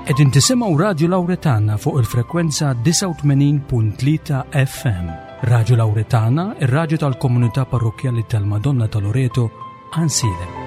Qegħdin tisimgħu Radju Lawretana fuq il-frekwenza 89.3 FM. Radju Lawretana, ir-radju tal-komunità parrokkjali tal-Madonna ta' Loreto, Ansilem.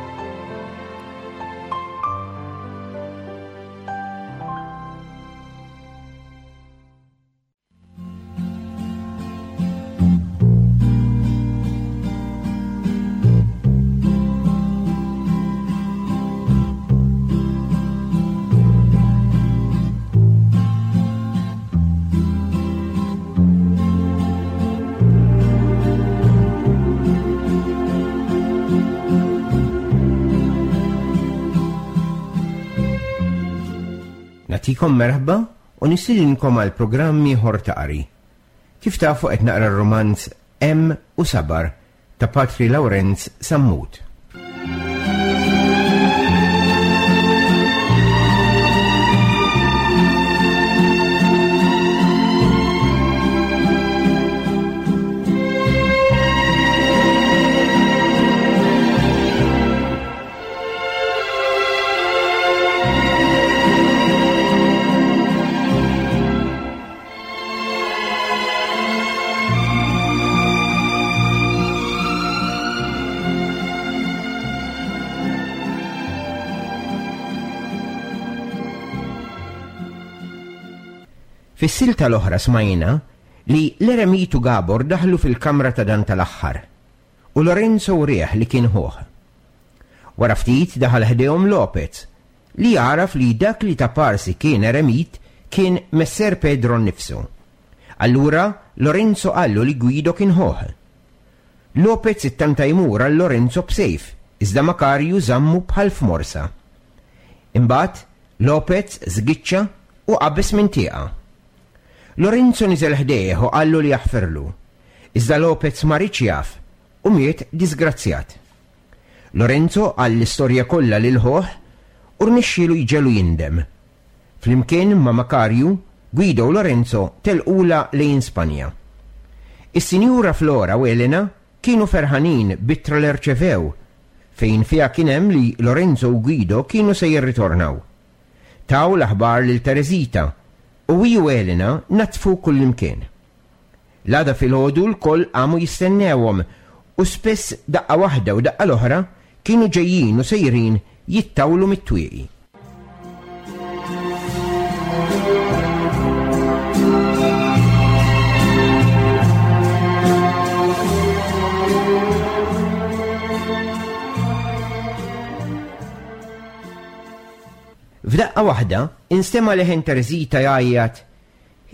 Natikom merħba u nistidinkom għal programm ieħor ta' qari. Kif tafu qed naqra r-rumanz Hemm u Sabar ta' Patri Lawrenz Sammut. Fis-silta l-oħra smajna li l-eremitu Gabor daħlu fil-kamra ta' dan tal-aħħar u Lorenzo wrieh li kien ħuh. Wara ftit daħal ħdejhom Lopez, li għaraf li dak li ta' parsi kien eremit kien Messer Pedro nnifsu. Allura Lorenzo qallu li Guido kien ħuh. Lopez ittanta jmur għal Lorenzo b'sejf, iżda Makarju żammu bħal f'morsa. Imbagħad Lopez żgiċċa u qabeż minn tieqa. Lorenzo niżel ħdejh u qallu li jaħfirlu. Iżda Lopez ma riedx jaf u miet disgrazzjat. Lorenzo qal l-istorja kollha lil ħuh u rnexxielu jġegħlu jindem. Flimkien ma' Makarju, Guido u Lorenzo telqulha lejn Spanja. Is-Sinjura Flora u Elena kienu ferħanin b'ittra li rċevew, fejn fiha kien hemm li Lorenzo u Guido kienu se jirritornaw. Taw l-aħbar lil Teresita u hi u Elena naddfu kullimkien. L-għada filgħodu lkoll qamu jistennewhom u spiss daqqa waħda u daqqa l-oħra kienu ġejjin u sejrin jittawlu mit-twieqi. F'daqqa waħda instema' leħen Teresita jgħajjat,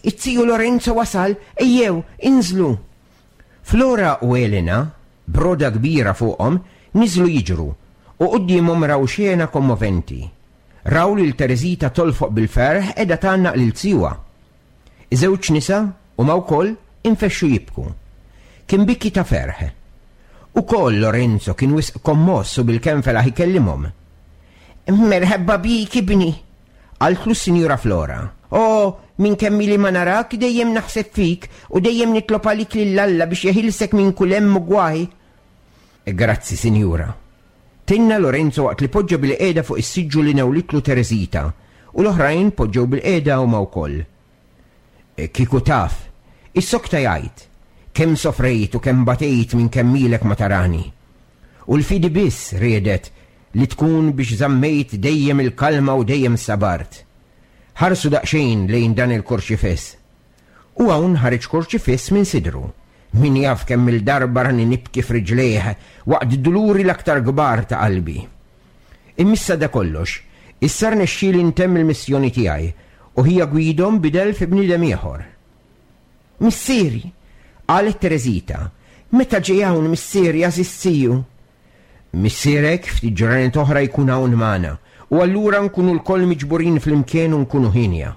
Iz-ziju Lorenzo wasal, ejjew, inżlu! Flora u Elena, b'roda kbira fuqhom, niżlu jiġru, u quddiemhom raw xena kommoventi. Raw lil Teresita tolfoq bil-ferħ qiegħda tgħannaq lil zijuha. Iż-żewġ nisa, huma wkoll, infexxu jibku. Kien biki ta' ferħ. Ukoll Lorenzo kien wisq kommoss u bilkemm felaħ ikellimhom. Merħba bik, ibni! Qaltlu s-Sinjura Flora. O, minn kemm ili ma narak dejjem naħseb fik u dejjem nitlob għalik lil Alla biex jeħilsek minn kull hemm u gwaj. Grazzi, Sinjura. Tenna Lorenzo waqt li poġġa bilqiegħda fuq is-siġġu li newlitlu Teresita u l-oħrajn poġġew bilqiegħda huma wkoll. Kieku taf, issokta jgħid, kemm sofrejt u kemm batejt minn kemm ilek ma tarani. U l-fidi biss riedet li tkun biex żammejt dejjem il-kalma u dejjem sabart. Ħarsu daqsxejn lejn dan il-kurċifiss. U hawn ħareġ kurċifiss minn sidru. Min jaf kemm-il darba rani nibki f'riġlejh waqt duluri l-aktar kbar ta' qalbi. Imma issa da kollox, issa rnexxieli ntemm il-missjoni tiegħi u ħija Guido nbidel fi bniedem ieħor. Missieri! qalet Teresita. Meta ġej hawn missieri għażiż ziju? Missierek ftit ġranet oħra jkun hawn magħna u allura nkunu lkoll miġburin flimkien u nkunu hienja.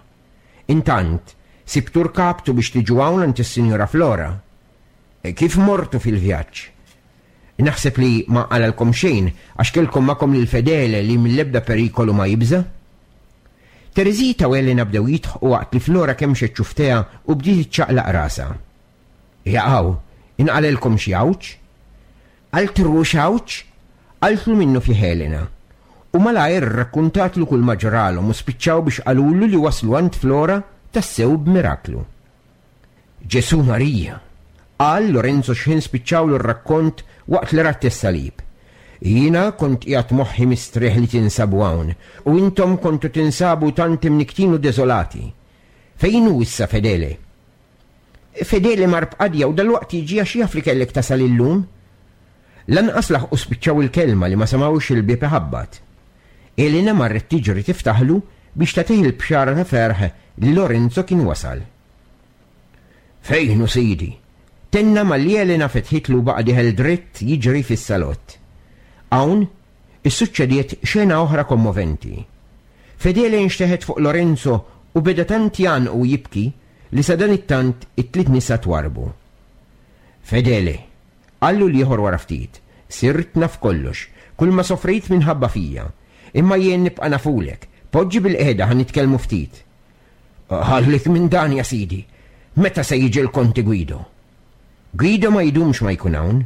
Intant, sibtu rkabtu biex tiġu hawn għand is-Sinjura Flora. Kif mortu fil-vjaġġ? Naħseb li ma nqalalkom xejn għax kellkom magħkom lil Fedele li mill-ebda perikolu ma jibża'. Teresita u Elena bdew jidħqu waqt li Flora kemmxet xufftejha u bdiet iċċaqlaq rasha. Jaqaw, inqalelkom xi għawġ? Altru x'għawġ? Qaltlu minnufih Elena. U malajr rrakkuntatlu kull ma ġralhom u spiċċaw biex qalulu li waslu għand Flora tassew b'miraklu. Ġesù Marija! qal Lorenzo x'ħin spiċċawlu r-rakkont waqt li ratt is-salib. Jiena kont qiegħed moħħi mistrieħ li tinsabu hawn, u intom kontu tinsabu tant imnikktin u deżolati. Fejn hu issa Fedele? Fedele mar b'qadja u dalwaqt jiġi għax jaf li kellek tasal illum. Lanqas laħqu spiċċaw il-kelma li ma semgħux il-bieb iħabbat. Elena marret tiġri tiftaħlu biex tagħtih il-bxara ta' ferħ li Lorenzo kien wasal. Fejn hu sidi? Tenna malli Elena fetħitlu u baqa' dieħel dritt jiġri fis-salott. Hawn, issuċċediet xena oħra kommoventi. Fedele nxteħet fuq Lorenzo u beda tant jgħannqu u jibki li sadanittant it-tliet nisa twarrbu. Fedele, qallu l-ieħor wara ftit, sirt naf kollox, kulma sofrejt minħabba fija. Imma jien nibqa' nafulek. Poġġi bilqiegħda ħa nitkellmu ftit. Ħallik minn dan, ja sidi. Meta se jiġi l-Konti Guido? Guido ma jdumx ma jkun hawn.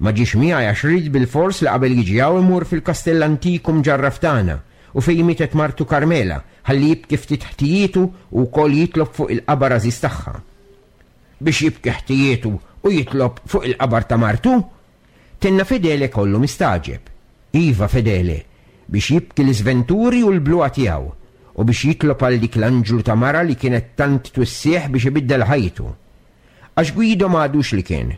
Ma ġiex miegħi għax ried bilfors li qabel jiġi hawn imur fil-kastell antik u mġarraf tagħna u fejn mietet martu Carmela ħalli jibki ftit ħtijietu u wkoll jitlob fuq il-qabar għażiż tagħha. Biex jibki ħtijietu u jitlob fuq il-qabar ta' martu? Tenna Fedele kollu mistagħġeb. Iva, Fedele, biex jibki l-iżventuri u l-bluha tiegħu, u biex jitlob għal dik l-anġlu ta' mara li kienet tant twissih biex ibiddel ħajtu. Għax Guido ma għadux li kien.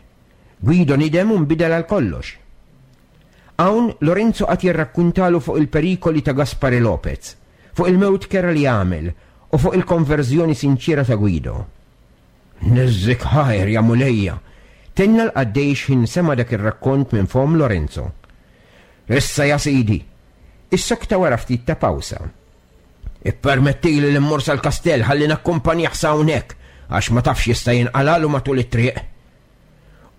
Guido nidem u nbidel għal kollox. Hawn Lorenzo qagħad jirrakkuntalu fuq il-perikoli ta' Gaspare Lopez, fuq il-mewt kerha li għamel u fuq il-konverżjoni sinċiera ta' Guido. Niżżik ħajr, ja Mulejja! Tenna l-qaddej x'ħin sema' dak ir-rakkont minn fomm Lorenzo. Issa ja sidi! Issokta wara ftit ta' pawsa. Ippermettili li mmur sal-kastell ħalli nakkumpanjah sa hawnhekk għax ma tafx jista' jinqalagħlu matul it-triq.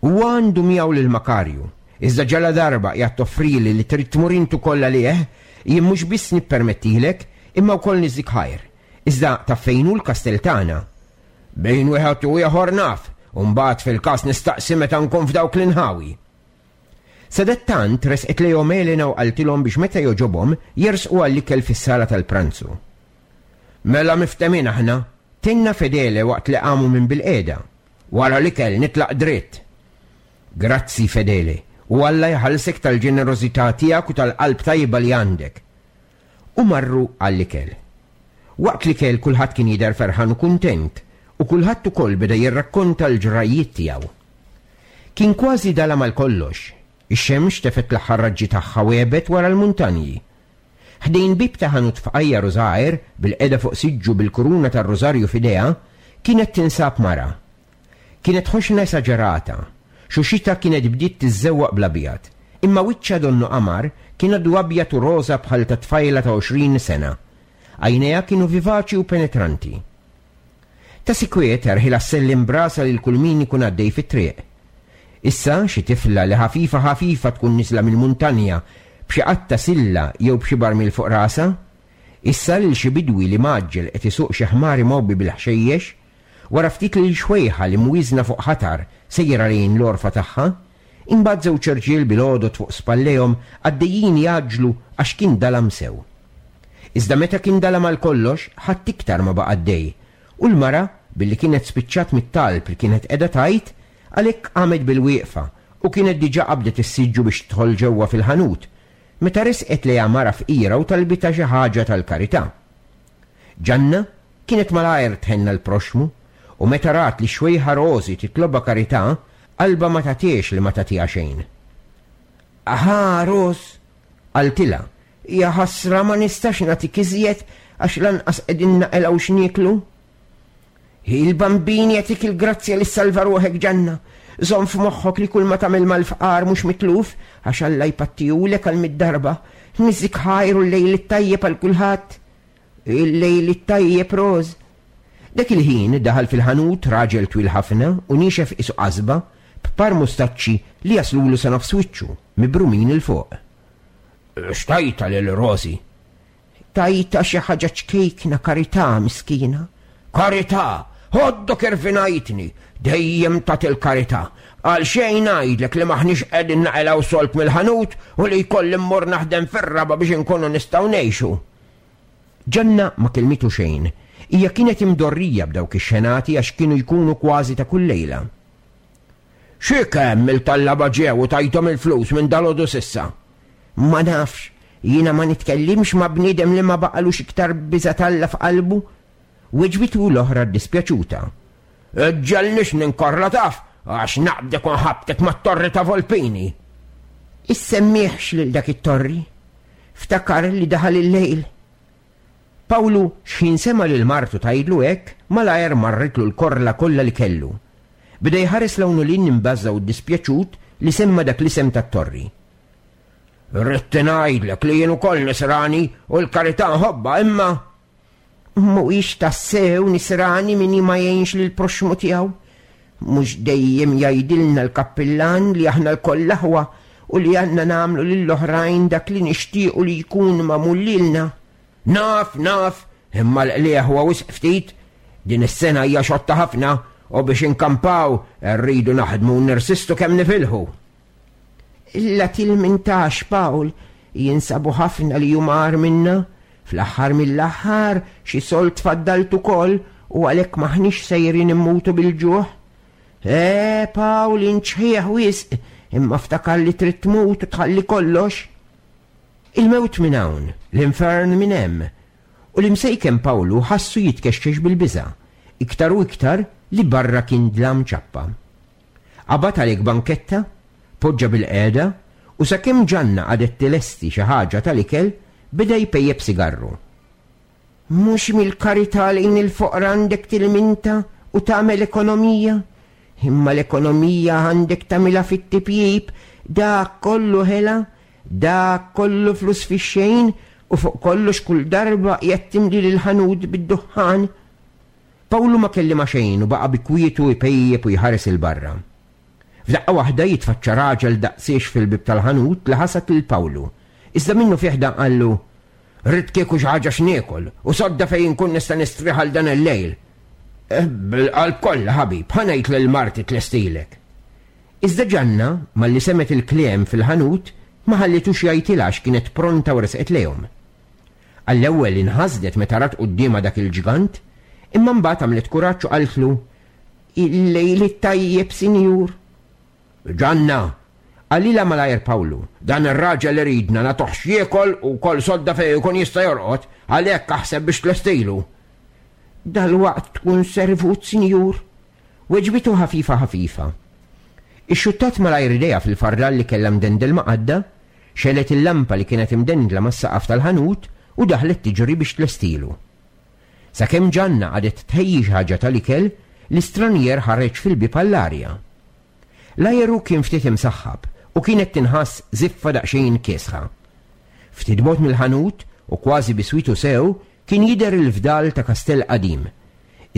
Huwa għandu miegħu lil Makarju, iżda ġaladarba qiegħed toffrili li trid tmur int ukoll għalih, jien mhux biss nippermettilek, imma wkoll niżżik ħajr. Iżda taf fejn hu l-kastell tagħna? Bejn wieħed u ieħor naf, u mbagħad fil-każ nistaqsi meta nkun f'dawk l-inħawi. Sadattant resqet lejhom Elena u qaltilhom biex meta jogħġobhom jersqu għall-ikel fis-sala tal-pranzu. Mela miftehmin aħna, tenna Fedele waqt li qamu minn bilqiegħda. Wara l-ikel nitlaq dritt. Grazzi, Fedele, u Alla jħallsek tal-ġenerożità tiegħek u tal-qalb tajba li għandek. U marru għall-ikel. Waqt l-ikel kulħadd kien jidher ferħan u kuntent, u kulħadd ukoll beda jirrakkonta l-ġrajjiet tiegħu. Kien kważi dalam għal kollox. Ix-xemx tefgħet l-aħħar raġġi tagħha u għebet wara l-muntanji. Ħdejn bieb ta' ħanut fqajjar u żgħir, bilqiegħda fuq siġġu bil-kuruna tar-rużarju f'idejha, kienet tinsab mara. Kienet ħoxna esaġerata. Xuxitha kienet bdiet tiżżewwaq bl-abjad. Imma wiċċha donnu qamar kien għadu abjad u roża bħal ta' tfajla ta' 20 sena. Għajnejha kienu vivaċi u penetranti. Ta' sikwit erħilha ssellem b'rasha lil kull min ikun għaddej fit-triq. Issa xi tifla li ħafifa ħafifa tkun niżla mill-muntanja b'xi qatta silla jew b'xi barmil fuq rasha. Issa lil xi bidwi li mgħaġġel qed isuq xi ħmar imgħobbi bil-ħxejjex. Wara ftit lil xwejħa li mwieżna fuq ħatar sejra lejn l-għorfa tagħha, imbagħad żewġ irġiel bil-għodod fuq spallejhom għaddejjin jgħaġġlu għax kien dalam sew. Iżda meta kien dalam għal kollox, ħadd iktar ma baqa' għaddej, u l-mara, billi kienet spiċċat mit-talb li kienet qiegħda tgħid, għalhekk qamet bil-wieqfa u kienet diġà qabdet is-siġġu biex tidħol ġewwa fil-ħanut, meta resqet lejha mara fqira u talbitha xi ħaġa tal-karità. Ġanna kienet malajr tħenn għall-proxxmu, u meta rat li x-xwejħa Rożi titlobha karità, qalbha ma tagħtihiex li ma tagħtiha xejn. Aħa, Roż, qaltilha, hija ħasra ma nistax nagħtik iżjed għax lanqas qegħdin naqilgħu x'nieklu. Il-Bambin jagħtik il-grazzja li ssalva ruħek, Ġanna. Żomm f'moħħok li kulma tagħmel mal-fqar mhux mitluf, għax Alla jpattihulek għal mitt darba. Niżżik ħajr u l-lejl it-tajjeb għal kulħadd. Il-lejl it-tajjeb, Rose. Dak il-ħin daħal fil-ħanut raġel twil ħafna u niexef qisu qasba, b'par mustaċċi li jaslulu sa nofs wiċċu, mibrumin 'il fuq. X'tajtha lil Rosie? Tajtha xi ħaġa ċkejkna, karità, miskina. Karità! Għoddok irfinajtni, dejjem tagħti l-karità. Għal xejn ngħidlek li m'aħniex qegħdin naqilgħu sold mill-ħanut u li jkolli mmur naħdem fir-raba' biex inkunu nistgħu ngħixu. Ġanna ma kellmitu xejn. Hija kienet imdorrija b'dawk ix-xenati għax kienu jkunu kważi ta' kull lejla. Xi kemm il-tallaba ġew u tajthom il-flus minn dalgħodu s'issa? Ma nafx, jiena ma nitkellimx ma' bniedem li ma baqalux iktar biża' t'Alla f'qalbu. Weġbitu l-oħra ddispjaċuta. Iġġegħelnix ninkorla taf, għax naqbdek u nħabbtek mat-torri ta' Volpini. Issemmihx lil dak it-torri. Ftakar li daħal il-lejl. Pawlu xħin sema' lil martu tgħidlu hekk, malajr marritlu l-korla kollha li kellu. Beda jħares 'l hawn u 'l hinn imbażża' u ddispjaċut li semma' dak l-isem tat-torri. Ridt ngħidlek li jien ukoll nisrani u l-karità nħobbha imma Mhuwiex tassew nisrani min ma jgħinx lill-proxxmu tiegħu. Mhux dejjem jgħidilna l-kappillan li aħna lkoll aħwa u li għandna nagħmlu lill-oħrajn dak li nixtiequ li jkun magħmul lilna. Naf, naf, imma l-qligħ huwa wisq ftit. Din is-sena hija xotta ħafna u biex inkampaw irridu naħdmu u nirsistu kemm nifilħu. La tilmintax, Pawl, jinsabu ħafna li huma agħar minna. Fl-aħħar mill-aħħar, xi sold faddalt ukoll u għalhekk m'aħniex sejrin immutu bil-ġuħ. Eh, Pawl, int xħiħ wisq, imma ftakar li trid tmut u tħalli kollox. Il-mewt minn hawn, l-infern minn hemm. U l-imsejken Pawlu ħassu jitkexkex bil-biża', iktar u iktar li barra kien dlam ċappa. Qabad għalhekk banketta, poġġa bilqiegħda u sakemm Ġanna qagħdet tilesti xi ħaġa tal-ikel, beda jpejjep sigarru. Mhux mill-karità lejn il-foqra għandek tilminta u tagħmel ekonomija, imma l-ekonomija għandek tagħmilha fit-tipjip, dak kollu ħela, dak kollu flus fix-xejn u fuq kollox kull darba qiegħed timli lill-ħanut bid-duħħan. Pawlu ma kellimha xejn u baqa' bi kwietu jpejjep u jħares 'il barra. F'daqqa waħda jitfaċċa raġel daqsiex fil-bieb tal-ħanut li ħasad lil Pawlu. Iżda minnufih dan qallu, Ridt kieku xi ħaġa x'niekol u sodda fejn inkun nista' nistrieħ għal dan il-lejl. Eh, bil-qalb kollha, ħabib, ħa ngħid lil marti tlestilek. Iżda Ġanna, malli semgħet il-kliem fil-ħanut, ma ħallitux jgħidilha għax kienet pronta u resqet lejhom. Għall-ewwel inħasdet meta rat quddiemha dak il-ġgant, imma mbagħad għamlet kuraġġ u qaltlu, Il-lejl it-tajjeb, sinjur. Ġanna! Qalilha malajr Pawlu, dan ir-raġel iridna nagħtuh x'jiekol u wkoll sodda fejn ikun jista' jorqod, għalhekk aħseb biex tlestilu. Dalwaqt tkun servut, sinjur. Weġbitu ħafifa ħafifa. Ixxuttat malajr idejha fil-fardal li kellha mdendel ma' qaddha, Xegħlet il-lampa li kienet imdendla mas-saqaf tal-ħanut u daħlet tiġri biex tlestilu. Sakemm Ġanna qagħdet tħejji xi ħaġa tal-ikel, l-istranjer ħareġ fil-bieb għall-arja. L-ajeru kien ftit imsaħħab u kienet tinħass żiffa daqsxejn kiesħa. Ftit bogħod mill-ħanut u kważi biswitu sew kien jidher il-fdal ta' kastell qadim.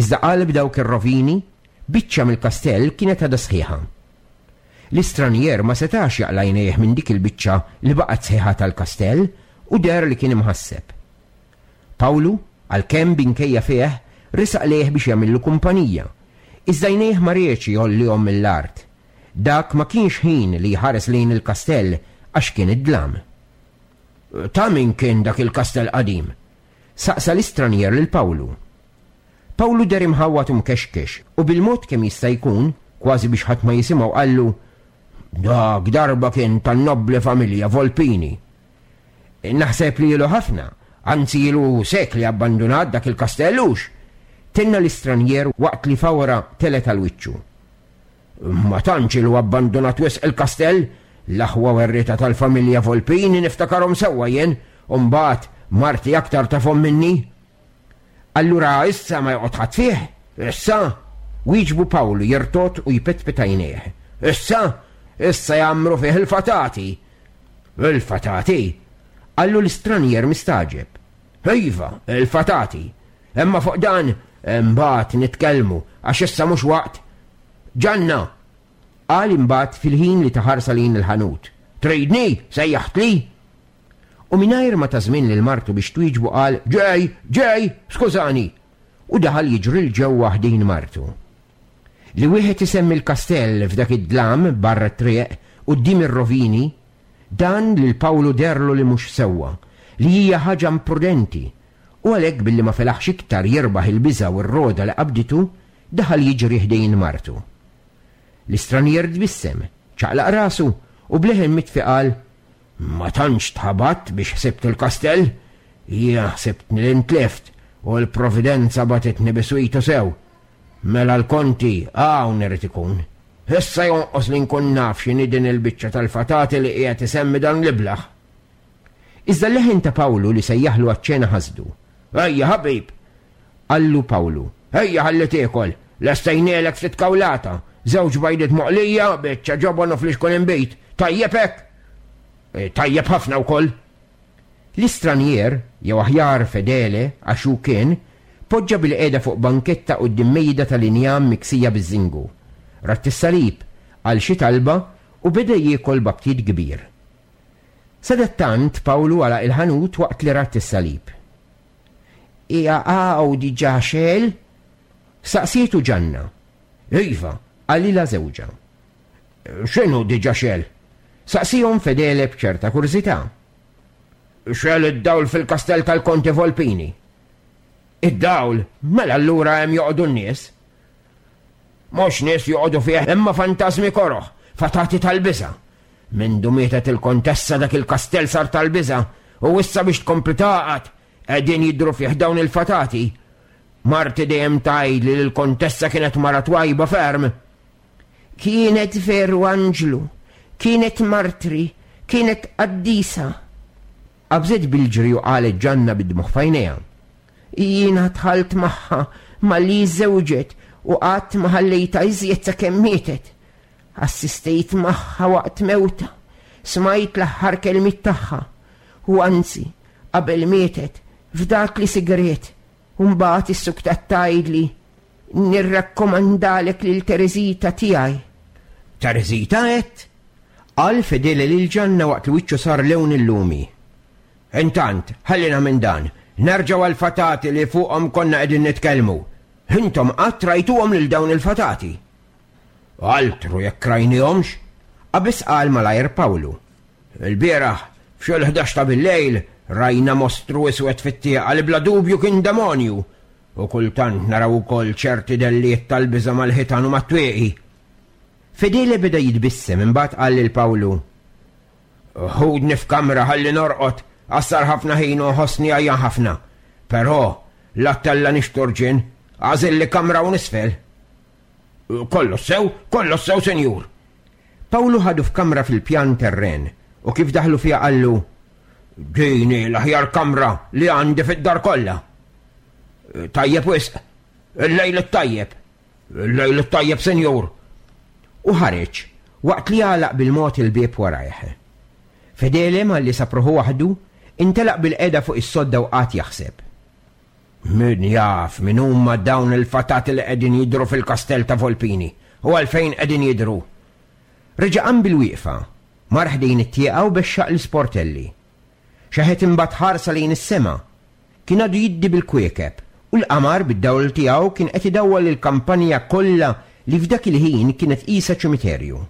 Iżda qalb dawk ir-rovini, biċċa mill-kastell kienet għadha sħiħa. L-istranjer ma setax jaqla' għajnejh minn dik il-biċċa li baqgħet sħiħa tal-kastell u deher li kien imħasseb. Pawlu, għalkemm b'inkejja fih, resaq lejh biex jagħmillu kumpanija. Iżda għajnejh ma riedx jgħollihom mill-art. Dak ma kienx ħin li jħares lejn il-kastell għax kien id-dlam. Ta' min kien dak il-kastell qadim? saqsa l-istranjer lil Pawlu. Pawlu deher imħawwad u mkexkex u bil-mod kemm jista' jkun, kważi biex ħadd ma jisimgħu qallu, Dak darba kien tan-nobbli familja Volpini. Naħseb li ilu ħafna, anzi ilu sekli abbandunat dak il-kastell hux? Tenna l-istranjer waqt li fawra telgħet għal wiċċu. Ma tantx ilu abbandunat wisq il-kastell, l-aħwa werrieta tal-familja Volpini niftakarhom sewwa jien, u mbagħad marti aktar tafhom minni. Allura issa ma joqgħod ħadd fih? Issa? Wieġbu Pawlu jirtogħod u jpetpet għajnejh. Issa? Issa jgħammru fih il-fatati. Il-fatati? Qallu l-istranjer mistagħġeb. Iva, il-fatati. Imma fuq dan imbagħad nitkellmu għax issa mhux waqt. Ġanna! Qal imbagħad fil-ħin li ta ħarsa lejn il-ħanut. Tridni? Sejjaħtli? U mingħajr ma ta żmien lil martu biex twieġbu qal, Ġej! Ġej! Skużani! u daħal jiġri 'l ġewwa ħdejn martu. Li wieħed isemmi l-kastell f'dak id-dlam barra t-triq quddiem ir-rovini, dan lil Pawlu deherlu li mhux sewwa, li hija ħaġa imprudenti, u għalhekk billi ma felaħx iktar jirbaħ il-biża' u r-rogħda li qabditu, daħal jiġri ħdejn martu. L-istranier tbissem, ċaqlaq rasu u b'leħen mitfi qal, Ma tantx tħabatt biex ħsibt il-kastell? Jiena ħsibtni li ntlift u l-Providenza bagħtitni biswitu sew. Mela l-Konti hawn irid ikun. Issa jonqos li nkun naf x'inhi din il-biċċa tal-fatati li qiegħed isemmi dan l-iblah. Iżda l-leħen ta' Pawlu li sejjaħlu għaċ-ċena ħasdu. Ejja ħabib! Qallu Pawlu. Ejja ħalli tiekol! Lestejnielek ftit kawlata, żewġ bajdiet moqlija, biċċa ġobon u flixkun inbid. Tajjeb hekk? Eh, tajjeb ħafna wkoll. L-istranier, jew aħjar Fedele, għax hu kien, poġġa bilqiegħda fuq banketta quddiem mejda tal-injam miksija biż-żingu. Radd is-salib, qal xi talba u beda jiekol b'aptit kbir. Sadattant Pawlu għalaq il-ħanut waqt li radd is-salib. Hija hawn diġà xegħel? Saqsietu Ġanna. Iva, qalilha żewġha. X'inhu diġà xegħel? Saqsiehom Fedele b'ċerta kurżità. Xegħel id-dawl fil-kastell tal-Konti Volpini. Id-dawl? Mela allura hemm joqogħdu n-nies. Mhux nies joqogħdu fih imma fantażmi koroh, fatati tal-biża'. Mindu mietet il-kontessa dak il-kastell sar tal-biża' u issa biex tkompli tagħqad qegħdin jidhru fih dawn il-fatati. Marti dejjem tgħidli li l-kontessa kienet mara twajba ferm. Kienet veru anġlu, kienet martri, kienet qaddisa. Qabżet bil-ġri u qalet Ġanna bid-dmugħ f'għajnejha. Jiena dħalt magħha malli żżewġet u qatt ma ħallejtha iżjed sakemm mietet. Assistejt magħha waqt mewtha, smajt l-aħħar kelmiet tagħha, u anzi, qabel mietet, fdatli sigriet, u mbagħad issuktat tgħidli, Nirrakkomandalek lil Tereżita tiegħi. Tereżita għedt? Qal Fedele lil Ġanna waqt li wiċċu sar lewn il-lumi. Intant, ħallina minn dan, nerġgħu għall-fatati li fuqhom konna qegħdin nitkellmu. Intom qatt rajtuhom lil dawn il-fatati? Altru jekk rajnihomx, qabeż qal malajr Pawlu. Ilbieraħ, f'xi l-ħdax ta' billejl, rajna mostru iswed fit-tieqa li bla dubju kien demonju, u kultant naraw ukoll ċerti dellijiet tal-biża' mal-ħitan u mat-twieqi. Fedele beda jitbissem imbagħad qal lil Pawlu, Ħudni f'kamra ħalli norqod, għax sar ħafna ħin u nħossni għajjan ħafna. Però, la tellgħanix turġien, għażilli kamra hawn isfel. Kollox sew, kollox sew, sinjur. Pawlu ħadu f'kamra fil-pjan terren u kif daħlu fiha qallu, Din hi l-aħjar kamra li għandi fid-dar kollha. Tajjeb wisq, il-lejl it-tajjeb. Il-lejl it-tajjeb, sinjur. U ħareġ, waqt li għalaq bil-mod il-bieb warajh. Fedele malli sab ruħu waħdu, intelaq bilqiegħda fuq is-sodda u qagħad jaħseb. Min jaf min huma dawn il-fatati li qegħdin jidhru fil-kastell ta' Volpini u għalfejn qegħdin jidhru. Reġa' qam bilwieqfa, mar ħdejn it-tieqa u bexxaq l-isportelli. Xeħet imbagħad ħarsa lejn is-sema. Kien għadu jiddi bil-kwiekeb u l-qamar bid-dawl tiegħu kien qed idawwal il-kampanja kollha li f'dak il-ħin kienet qisha ċimiterju.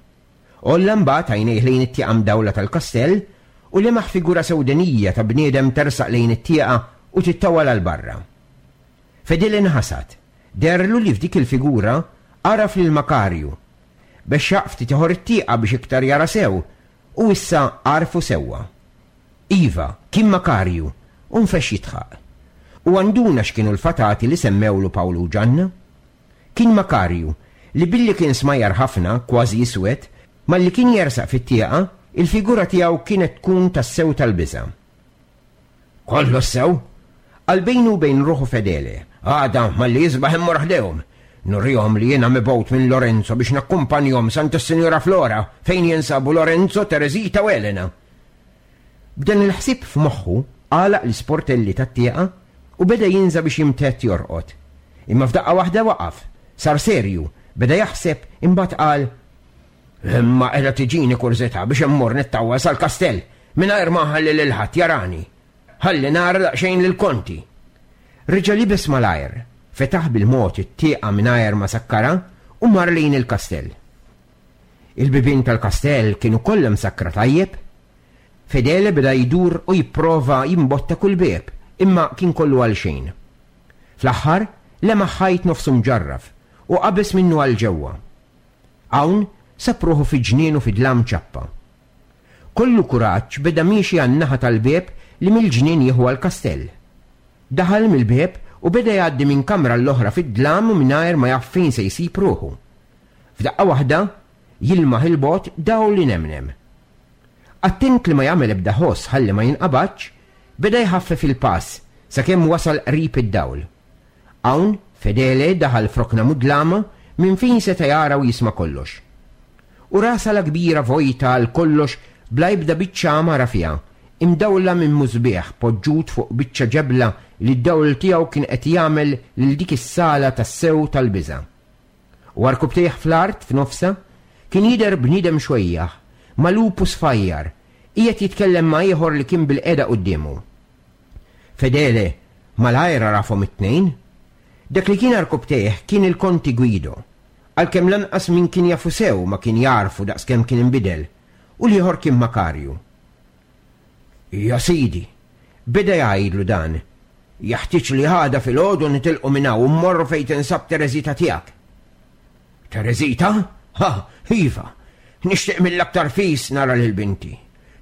Għolla mbagħad għajnejh lejn it-tieqa mdawla tal-kastell u lemaħ figura sewdenija ta' bniedem tersaq lejn it-tieqa u tittawwal għal barra. Fedele nħasad. Deherlu li f'dik il-figura għaraf lil Makarju. Bexxaq ftit ieħor it-tieqa biex iktar jara sew u issa għarfu sewwa. Iva, kien Makarju u nfexx jidħaq. Huwa nduna x'kienu l-fatati li semmewlu Pawlu u Ġanna. Kien Makarju, li billi kien smajjar ħafna, kważi iswed, malli kien jersaq fit-tieqa, il-figura tiegħu kienet tkun tassew tal-biża'. Kollox sew! Qal bejnu u bejn ruħu Fedele, għada malli jisbaħ immur ħdejhom. Nurihom li jiena mibgħut minn Lorenzo biex nakkumpanjhom s'għand is-Sinjura Flora fejn jinsabu Lorenzo, Tereżita u Elena. B'dan il-ħsieb f'moħħu, għalaq l-isportelli tat-tieqa u beda jinża' biex jimtedd jorqod. Imma f'daqqa waħda waqaf, sar serju, beda jaħseb, imbagħad qal, Imma qiegħda tiġini kurżità biex immur nittawwal sal-kastell mingħajr ma nħalli lil ħadd jarani. Ħalli nara daqsxejn lill-Konti. Reġa' libes malajr. Fetaħ bil-mod it-tieqa mingħajr ma sakkarha u mar lejn il-kastell. Il-bibien tal-kastell kienu kollha msakkra tajjeb. Fedele beda jdur u jipprova jimbotta kull bieb, imma kien kollu għalxejn. Fl-aħħar, lemaħ ħajt nofsu mġarraf u qabeż minnu għal ġewwa. Hawn, sab ruħu fi ġnien u fi dlam ċappa. Kollu kuraġġ beda miexi għan-naħa tal-bieb li mill-ġnien jieħu għall-kastell. Daħal mill-bieb u beda jgħaddi minn kamra għall-oħra fid-dlam u mingħajr ma jaf fejn se jsib ruħu. F'daqqa waħda, jilmaħ 'il bogħod dawl inemnem. Attent li ma jagħmel ebda ħoss ħalli ma jinqabadx, beda jħaffef il-pass sakemm wasal qrib id-dawl. Hawn, Fedele daħal f'rokna mudlama minn fejn seta' jara u jisma' kollox. U ra sala kbira vojta għal kollox bla ebda biċċa għamara fiha, imdawla minn musbieħ poġġut fuq biċċa ġebla li d-dawl tiegħu kien qed jagħmel lil dik is-sala tassew tal-biża'. U għarkupptejh fl-art f'nofsha kien jidher bniedem xwejjaħ, magħlub u sfajjar, qiegħed jitkellem ma' ieħor li kien bilqiegħda quddiemu. Fedele malajr għarafhom it-tnejn. Dak li kien għarkupptejh kien il-Konti Guido, għalkemm lanqas min kien jafu sew ma kien jagħrfu daqskemm kien inbidel, u l-ieħor kien Makarju. Ja sidi, beda jgħidlu dan, jeħtieġ li għada filgħodu nitilqu minn hawn u mmorru fejn tinsab Tereżita tiegħek. Tereżita? Ha, iva, nixtieq mill-aktar fis nara lil binti.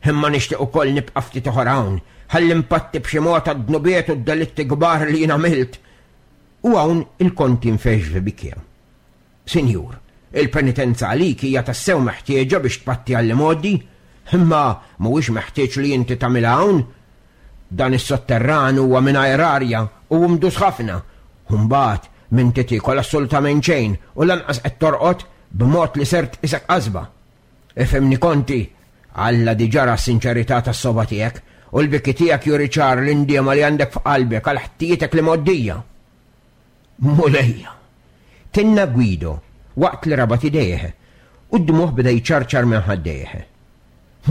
Imma nixtieq ukoll nibqa' ftit ieħor hawn, ħalli npatti b'xi mod għad-dnubiet u d-delitti kbar li jien għamilt. U hawn il-konti nfexx f'bikja. Sinjur, il-penitenza għalik hija tassew meħtieġa biex tpatti għall-imgħoddi, imma mhuwiex meħtieġ li inti tagħmilha hawn. Dan is-sotterran huwa mingħajr arja u mdus ħafna. U mbagħad m'inti tiekol assolutament xejn u lanqas qed torqod b'mod li ser tqisek qasba. Ifhimni Konti, Alla diġà ra s-sinċerità tas-sogħba tiegħek u l-biki tiegħek juri ċar l-indiema li għandek f'qalbek għal ħtijietek l-imgħoddija. Mulejja! Tenna Guido waqt li rabat idejh u d-dmugħ beda jċarċar minn ħaddejh.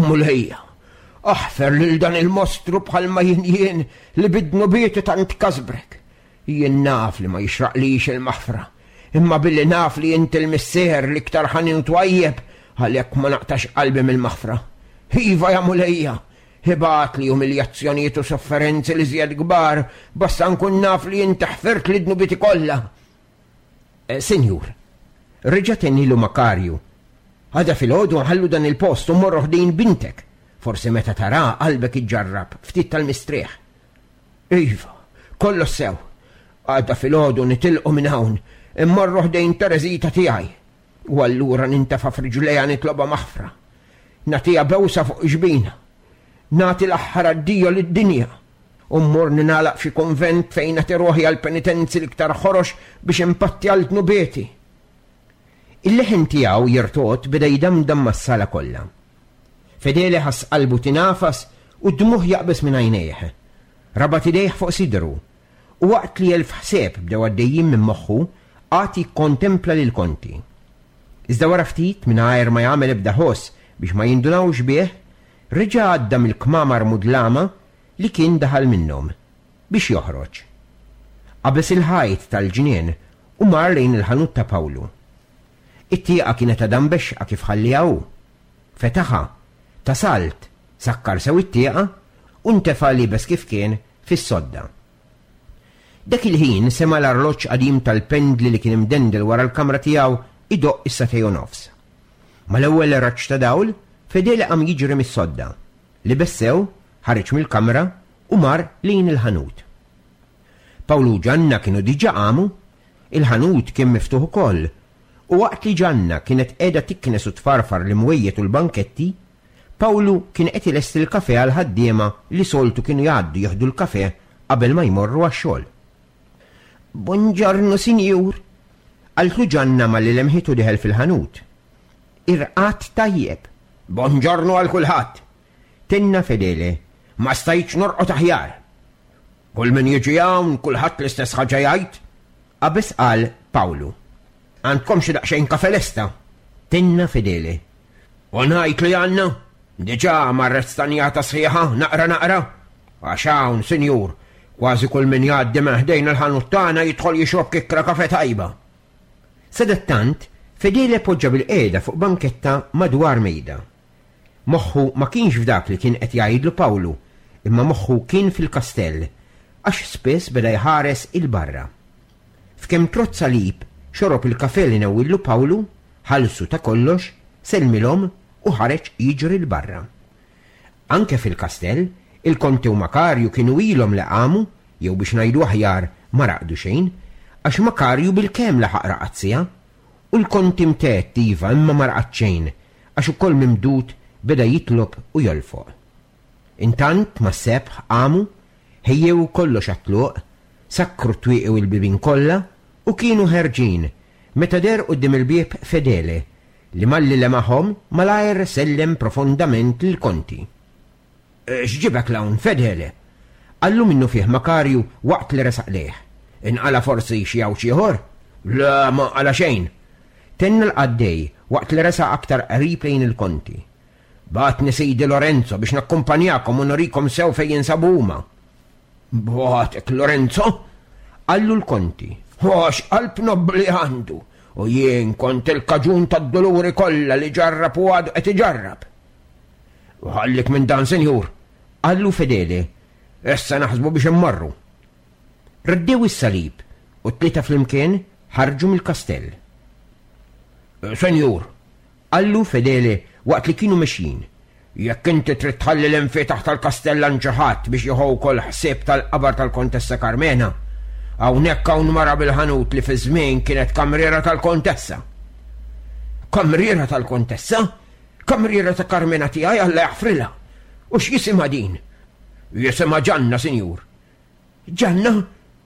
Mulejja! Aħfer lil dan il-mostru bħalma jien jien li bi dnubieti tant kasbrek. Jien naf li ma jixraqlix il-maħfra, imma billi naf li inti l-Missier l-iktar ħanin u twajjeb, għalhekk ma naqtax qalbi mill-maħfra. Iva, ja Mulejja, Ibgħatli umiljazzjonijiet u sofferenzi l-iżjed kbar, basta nkun naf li inti ħfirtli dnubieti kollha. Eh, Sinjur, reġa' tennilu Makarju, għada filgħodu nħallu dan il-post u mmorru ħdejn bintek. Forsi meta tara qalbek iġġarrab ftit tal-mistrieħ. Iva, kollox sew. Għada filgħodu nitilqu minn hawn, immorru ħdejn Tereżita tiegħi. U allura nintefa' f'riġlejha nitlobha maħfra. Nagħtiha bewsa fuq ġbinha. Nagħti l-aħħar addio lid-dinja. U mmur ningħalaq f'xi kunvent fejn nagħti ruħi għall-penitenzi l-iktar ħorox biex inpatti għal dnubieti. Il-leħen tiegħu jirtogħod beda jdamdam mas-sala kollha. Fedele ħass qalbu tingħafas u d-dmugħ jaqbeż minn għajnejh. Rabat idejh fuq sidru U waqt li elf ħsieb bdew għaddejjin minn moħħu, qagħad jikkontempla lill-Konti. Iżda wara ftit, mingħajr ma jagħmel ebda ħoss biex ma jindunawx bih, reġa' għadda mill-kmamar mudlama li kien daħal minnhom, biex joħroġ. Qabeż il-ħajt tal-ġnien u mar lejn il-ħanut ta' Pawlu. It-tieqa kienet għadha mbexxqa kif ħallieha hu. Fetaħha, ta salt, sakkar sew it-tieqa u ntefa' liebes kif kien fis-sodda. Dak il-ħin sema' l-arloġġ qadim tal-pendli li kien imdendel wara l-kamra tiegħu jdoqq is-sagħtej u nofs. Mal-ewwel raġġ ta' dawl, Fedele qam jiġri mis-sodda, libes sew, ħareġ mill-kamra u mar lejn il-ħanut. Pawlu u Ġanna kienu diġà qamu. Il-ħanut kien miftuħ ukoll, u waqt li Ġanna kienet qiegħda tiknes u tfarfar l-imwejjed u l-banketti, Pawlu kien qed ilesti l-kafè għall-ħaddiema li soltu kienu jgħaddu jieħdu l-kafè qabel ma jmorru għax-xogħol. Bonġornu, sinjur! qaltlu Ġanna malli lemħitu dieħel fil-ħanut. Irqadt tajjeb? Bonġornu għal kulħadd! Tenna Fedele. Ma stajtx norqod aħjar! Kull min jiġi hawn, kulħadd l-istess ħaġa jgħid! Qabeż qal Pawlu. Għandkom xi daqsxejn kafe lesta? Tenna Fedele. U ngħid li għandna? Diġà marret stanjata sħiħa, naqra naqra. Għax hawn, sinjur, Kważi kull min jgħaddi minn ħdejn il-ħanut tagħna jidħol jixrob kikkra kafe tajba. Sadattant, Fedele poġġa bilqiegħda fuq banketta madwar mejda. Moħħu ma kienx f'dak li kien qed jgħidlu Pawlu, imma moħħu kien fil-kastell, għax spiss beda jħares 'il barra. F'kemm trodd salib xorob il-kafe li newwillu Pawlu, ħallsu ta' kollox, sellmilhom u ħareġ jiġri 'l barra. Anke fil-kastell, il-Konti u Makarju kienu ilhom li qamu, jew biex ngħidu aħjar, ma raqdu xejn, għax Makarju bilkemm laħaq raqad siegħa. U l-Konti mtedd, iva, imma ma raqad xejn, għax ukoll mimdud beda jitlob u jolfoq. Intant, mas-sebħ, qamu, ħejjew kollox għat-tluq, sakkru t-twieqi u l-bibien kollha, u kienu ħerġin, meta deher quddiem il-bieb Fedele, li malli lemaħhom malajr sellem profondament lill-Konti. X'ġibek 'l hawn, Fedele? qallu minnufih Makarju waqt li resaq lejh. Inqala' forsi xi għawġ ieħor? Le, ma nqala' xejn! Tenna l-qaddej waqt li resaq aktar qrib lejn il-Konti. Bagħatni sidi Lorenzo biex nakkumpanjakom u nurikom sew fejn jinsabu huma. Bagħatek Lorenzo? qallu l-Konti. Għax qalb nobbli għandu, u jien kont il-kaġun tad-duluri kollha li ġarrab u għadu qed iġarrab. U ħallik minn dan, sinjur, qallu Fedele, issa naħsbu biex immorru. Reddew is-salib u t-tlieta flimkien ħarġu mill-kastell. Senjur, Qallu Fedele waqt li kienu mexjin, Jekk inti trid tħalli l-imfietaħ tal-kastell għand xi ħadd biex jieħu wkoll ħsieb tal-qabar tal-Kontessa Karmena, hawnhekk hawn mara bil-ħanut li fi żmien kienet kamriera tal-Kontessa. Kamriera tal-Kontessa? Kamriera ta' Karmena tiegħi Alla jaħfrilha. U x'jisimha din? Jisimha Ġanna, sinjur. Ġanna?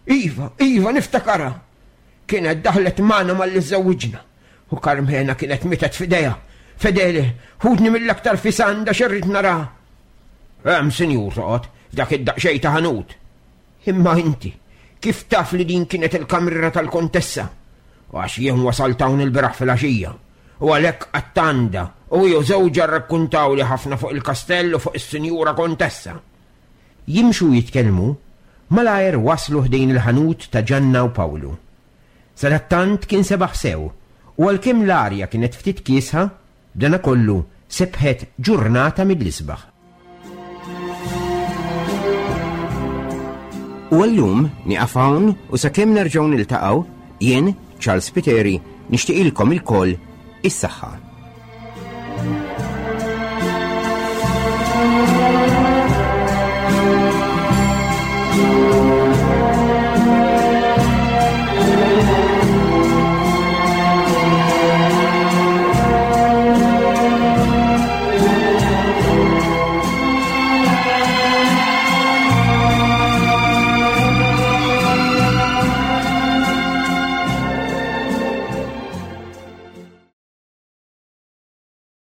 Iva, iva, niftakarha. Kienet daħlet magħna malli żżewwiġna. U Karmena kienet mietet f'idejha. Fedele, ħudni mill-aktar fis għandha x'irrid naraha. Hemm, sinjur, toqgħod, f'dak id-daqsxejn ta' ħanut. Imma inti, kif taf li din kienet il-kamriera tal-kontessa? Għax jien wasalt hawn il-beraħ filgħaxija. U għalhekk qatt għandha, u hi u żewġha rrakkuntawli ħafna fuq il-kastell u fuq is-sinjura kontessa. Jimxu u jitkellmu, malajr waslu ħdejn il-ħanut ta' Ġanna u Pawlu. Sadattant kien sebaħ sew, u għalkemm l-arja kienet ftit kiesħa, b'danakollu sebħet ġurnata mill-isbaħ. U għallum nieqaf hawn u sakemm nerġgħu niltaqgħu, jien, Charles Spiteri, nixtieqilkom ilkoll is-saħħa.